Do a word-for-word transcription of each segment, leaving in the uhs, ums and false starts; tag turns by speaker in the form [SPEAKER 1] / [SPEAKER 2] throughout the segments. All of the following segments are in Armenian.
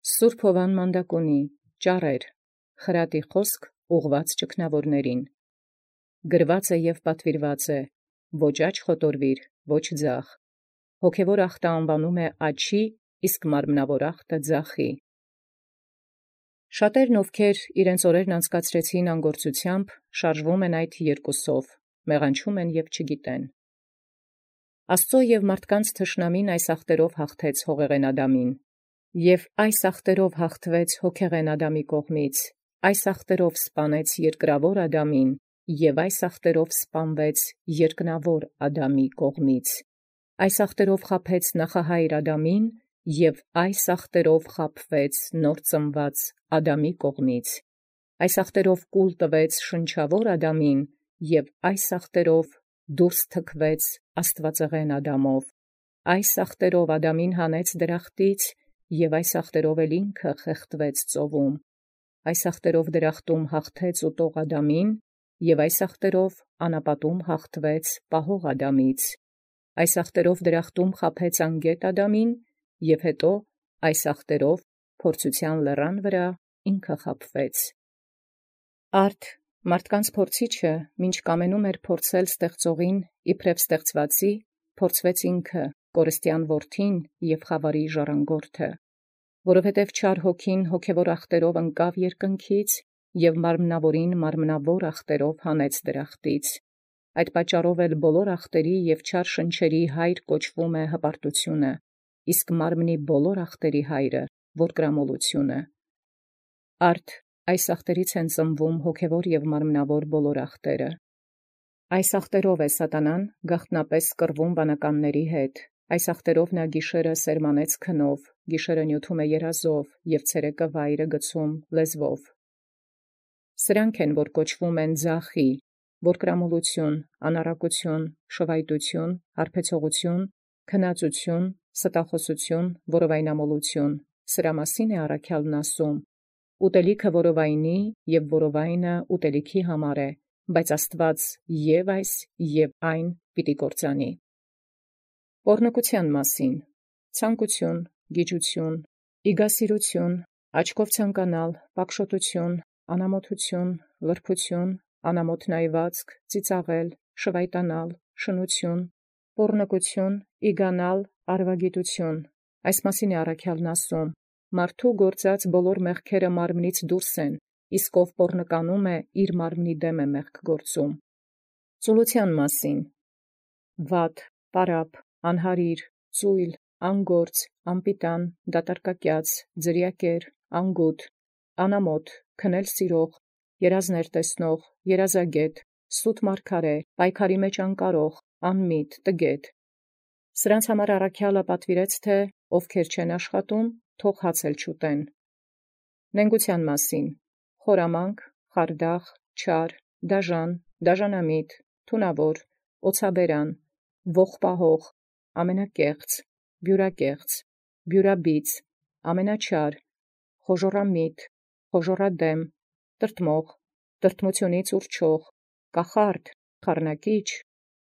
[SPEAKER 1] Սուրբ Հովան Մանդակոնի, ճառեր, խրատի խոսք ուղղված ճգնավորներին։ Գրված է և պատվիրված է, ոչ աջ խոտորվիր, ոչ ձախ։ Հոգևոր ախտը անվանում է աչի, իսկ մարմնավոր ախտը ձախի։ Շատերն, ովքեր իրենց օրերն անցկացրեցին անգործությամբ, շարժվում են այդ երկուսով, մեղանչում են և չգիտեն։ Աստծո և մարդկանց թշնամին այս ախտերով հաղթեց հողեղեն Ադամին, և այս ախտերով հաղթվեց հոգեղեն Ադամի կողմից, այս ախտերով սպանեց երկրավոր Ադամին, և այս ախտերով սպանվեց երկնավոր Ադամի կողմից, այս ախտերով խաբեց նախահայր Ադամին, և այս ախտերով խաբվեց նոր ծնված Ադամի կողմից, այս ախտերով կուլ տվեց շնչավոր Ադամին, և այս ախտերով դուրս թքվեց աստվածեղեն Ադամով, այս ախտերով Ադամին հանեց դրախտից, և այս ախտերով էլ ինքը խեղդվեց ծովում, այս ախտերով դրախտում հաղթեց ուտող Ադամին, և այս ախտերով անապատում հաղթվեց պահող Ադամից, այս ախտերով դրախտում խաբեց անգետ Ադամին, և հետո այս ախտերով փորձութեան լեռան վրա ինքը խաբվեց։ Արդ մարդկանց փորձիչը, մինչ կամենում էր փորձել ստեղծողին իբրև ստեղծվածի, փորձվեց ինքը, կորստյան որդին և խավարի ժառանգորդը, որովհետև չար հոգին հոգևոր ախտերով ընկավ երկնքից և մարմնավորին մարմնավոր ախտերով հանեց դրախտից, այդ պատճառով էլ բոլոր ախտերի և չար շնչերի հայր կոչվում է հպարտությունը, իսկ մարմնի բոլոր ախտերի հայրը որդգրամոլությունը։ Արդ այս ախտերից են ծնվում հոգևոր և մարմնավոր բոլոր ախտերը։ Այս ախտերով է սատանան գաղտնապես կռվում վանականների հետ, այս ախտերով նա գիշերը սերմանեց քնով, գիշերը նյութում է երազով և ցերեկը վայրը գցում լեզվով։ Սրանք են, որ կոչվում են ձախի, որդգրամոլություն, անառակություն, շվայտություն, հարբեցողություն, քնածություն, ստախոսություն, որովայնամոլություն, սրա մասին է առաքյալն ասում. ուտելիքը որովայնի և որովայնը ուտելիքի համար է, բայց Աստված և այս և այն պիտի կործանի։ Պոռնկության մասին. ցանկություն, գիջություն, իգասիրություն, աչքով ցանկանալ, պակշոտություն, անամոթություն, լրբություն, անամոթ նայվածք, ծիծաղել, շվայտանալ, շնություն, պոռնկություն, իգանալ, արվագիտություն, այս մասին է առաքյալն ասում. մարդու գործած բոլոր մեղքերը մարմնից դուրս են, իսկ ով պոռնկանում է, իր մարմնի դեմ է մեղք գործում։ Ծուլության մասին. վատ, պարապ, անհարիր, ծույլ, անգործ, անպիտան, դատարկակյաց, ձրիակեր, անգութ, անամոթ, քնել սիրող, երազներ տեսնող, երազագետ, սուտ մարգարե, պայքարի մեջ անկարող, անմիտ, տգետ։ Սրանց համար առաքյալը պատվիրեց, թե ովքեր չեն աշխատում, թող հաց էլ չուտեն։ Նենգության մասին. խորամանկ, խարդախ, չար, դաժան, դաժանամիտ, թունավոր, օցաբերան, ողբահող, ամենակեղծ, բյուրակեղծ, բյուրաբիծ, ամենաչար, խոժոռամիտ, խոժոռադեմ, տրտմող, տրտմությունից ուռչող, կախարդ, խառնակիչ,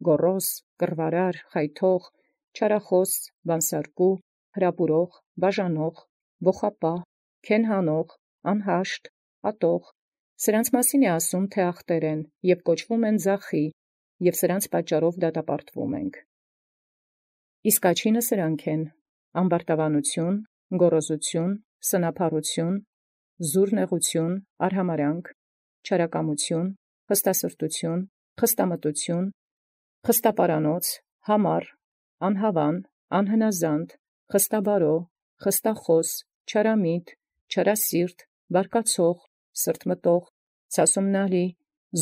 [SPEAKER 1] գոռոզ, կռվարար, խայթող, չարախոս, բանսարկու, հրապուրող, բաժանող, ոխապահ, քեն հանող, անհաշտ, ատող, սրանց մասին է ասում, թե ախտեր են և կոչվում են ձախի, և սրանց պատճառով դատապարտվում ենք։ Իսկ աչինը սրանք են. ամբարտավանություն, գոռոզություն, սնափառություն, զուռնեղություն, արհամարհանք, չարակամություն, խստասրտություն, խստամտություն, խստապարանոց, համառ, անհավան, անհնազանդ, խստաբարո, խստախոս, չարամիտ, չարասիրտ, բարկացող, սրտմտող, ցասումնալի,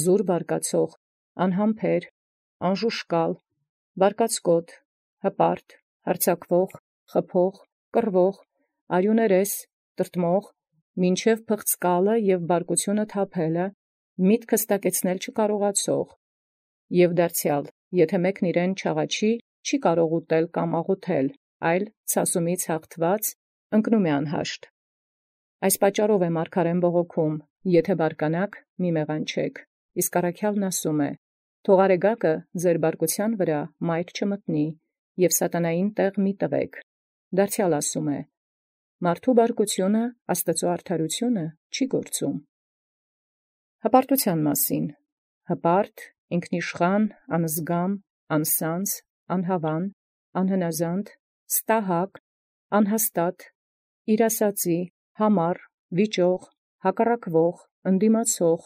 [SPEAKER 1] զուռ բարկացող, անհամբեր, անժուշկալ, բարկացկոտ, հպարտ, հարձակվող, խփող, կռվող, արյուներես, տրտմող, մինչև փղծկալը և բարկությունը թափելը, միտքը ստակեցնել չկարողացող, և դարձյալ, եթե մեկն իրեն չաղաչի, չի կարող ուտել կամ աղոթել, այլ ցասումից հաղթված ընկնում է անհաշտ։ Այս պատճառով է մարգարեն բողոքում. եթե բարկանաք, մի մեղանչեք, իսկ առաքյալն ասում է. թող արեգակը ձեր բարկության վրա մայր չմտնի, և սատանային տեղ մի տվեք։ Դարձյալ ասում է. Մարդու բարկությունը Աստծո արդարությունը չի գործում։ Հպարտութեան մասին. հպարտ, ինքնիշխան, անզգամ, անսանձ, անհավան, անհնազանդ, ստահակ, անհաստատ, իրասացի, համառ, վիճող, հակառակվող, ընդդիմացող,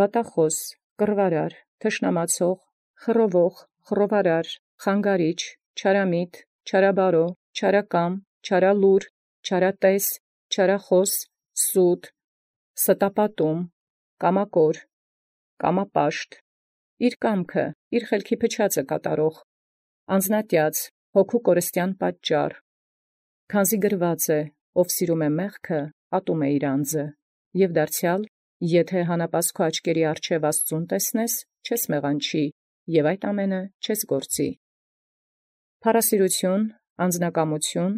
[SPEAKER 1] վատախոս, կռվարար, թշնամացող, խռովող, խռովարար, խանգարիչ, չարամիտ, չարաբարո, չարակամ, չարալուր, չարատես, չարախոս, սուտ, ստապատում, կամակոր, կամապաշտ, իր կամքը, իր խելքի փչածը կատարող, անձնատյաց, հոգու կորստյան պատճառ, քանզի գրված է, ով սիրում է մեղքը, ատում է իր անձը, և դարձյալ, եթե հանապազքո աչքերի առջև Աստծուն տեսնես, չես մեղանչի, և այդ ամենը չես գործի։ Փառասիրություն, անձնակամություն,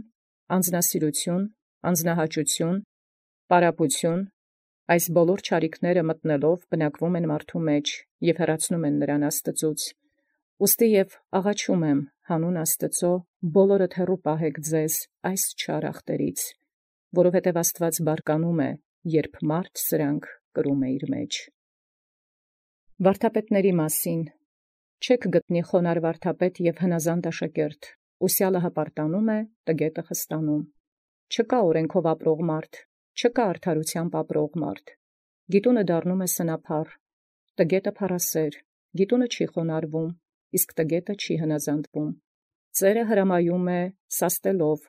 [SPEAKER 1] անձնասիրություն, անձնահաճություն, պարապություն, այս բոլոր չարիքները մտնելով բնակվում են մարդու մեջ և հեռացնում են նրան Աստծուց։ Ուստի և աղաչում եմ հանուն Աստծո, բոլորդ հեռու պահեք ձեզ այս չար ախտերից, որովհետև Աստված բարկանում է, երբ մարդ սրանք կրում է իր մեջ։ Վարդապետների մասին. չեք գտնի խոնար վարդապետ և հնազանդ աշակերտ, ուսյալը հպարտանում է, տգետը խստանում։ Չկա օրենքով ապրող մարդ, չկա արդարութեամբ ապրող մարդ, գիտունը դառնում է սնափառ, տգետը փառասեր, գիտունը չի խոնարհվում, իսկ տգետը չի հնազանդվում։ Ծերը հրամայում է սաստելով,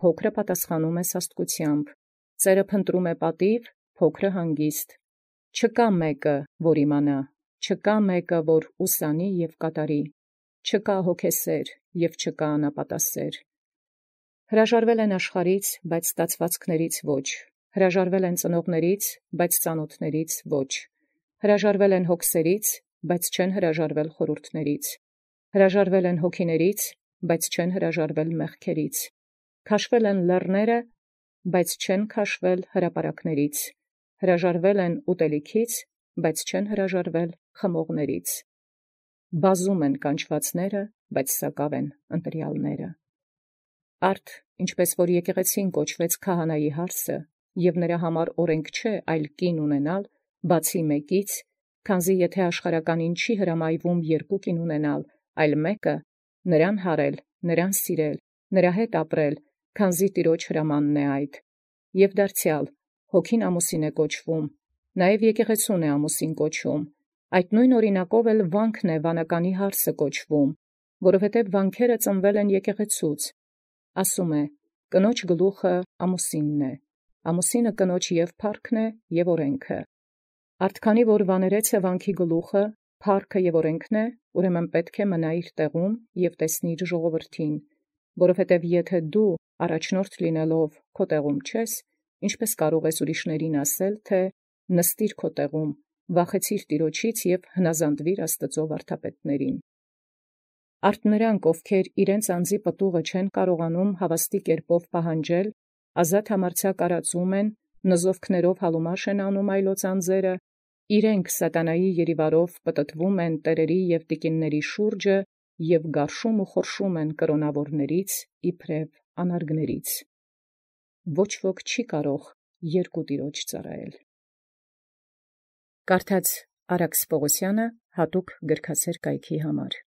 [SPEAKER 1] փոքրը պատասխանում է սաստկությամբ, ծերը փնտրում է պատիվ, փոքրը հանգիստ։ Չկա մեկը, որ իմանա, չկա մեկը, որ ուսանի և կատարի, չկա հոգեսեր և չկա անապատասեր։ Հրաժարվել են աշխարհից, բայց ստացվածքներից ոչ, հրաժարվել են ծնողներից, բայց ծանոթներից ոչ, հրաժարվել են հոգսերից, բայց չեն հրաժարվել խորհուրդներից, հրաժարվել են հոգիներից, բայց չեն հրաժարվել մեղքերից, քաշվել են լեռները, բայց չեն քաշվել հրապարակներից, հրաժարվել են ուտելիքից, բայց չեն հրաժարվել խմողներից։ Բազում են կանչվածները, բայց սակավ են ընտրյալները։ Արդ, ինչպես որ եկեղեցին կոչվեց քահանայի հարսը, և նրա համար օրենք չէ, այլ կին ունենալ, բացի մեկից, քանզի եթե աշխարհականին չի հրամայվում երկու կին ունենալ, այլ մեկը, նրան հարել, նրան սիրել, նրա հետ ապրել, քանզի Տիրոջ հրամանն է այդ։ Եվ դարձյալ, հոգին ամուսին է կոչվում, նաև եկեղեցուն է ամուսին կոչում, այդ նույն օրինակով էլ վանքն է վանականի հարսը կոչվում, որովհետև վանքերը ծնվել են եկեղեցուց։ Ասում է. կնոջ գլուխը ամուսինն է, ամուսինը կնոջ և փառքն է, և օրենքը։ Արդ քանի որ վաներեց է վանքի գլուխը, փառքը և օրենքն է, ուրեմն պետք է մնա իր տեղում և տեսնի իր ժողովրդին, որովհետև եթե դու առաջնորդ լինելով քո տեղում չես, ինչպես կարող ես ուրիշներին ասել, թե նստիր քո տեղում, վախեցիր Տիրոջից և հնազանդվիր Աստծո վարդապետներին։ Արդ նրանք, ովքեր իրենց անձի պտուղը չեն կարողանում հավաստի կերպով պահանջել, ազատ համարձակ արածում են, նզովքներով հալումաշ են անում այլոց անձերը, իրենք սատանայի երիվարով պտտվում են տերերի և տիկինների շուրջը և գարշում ու խորշում են կրոնավորներից իբրև անարգներից։ Ոչ ոք չի կարող երկու Տիրոջ ծառայել։ Կարդաց Արաքս Պողոսյանը հատուկ գրքասեր կայքի համար։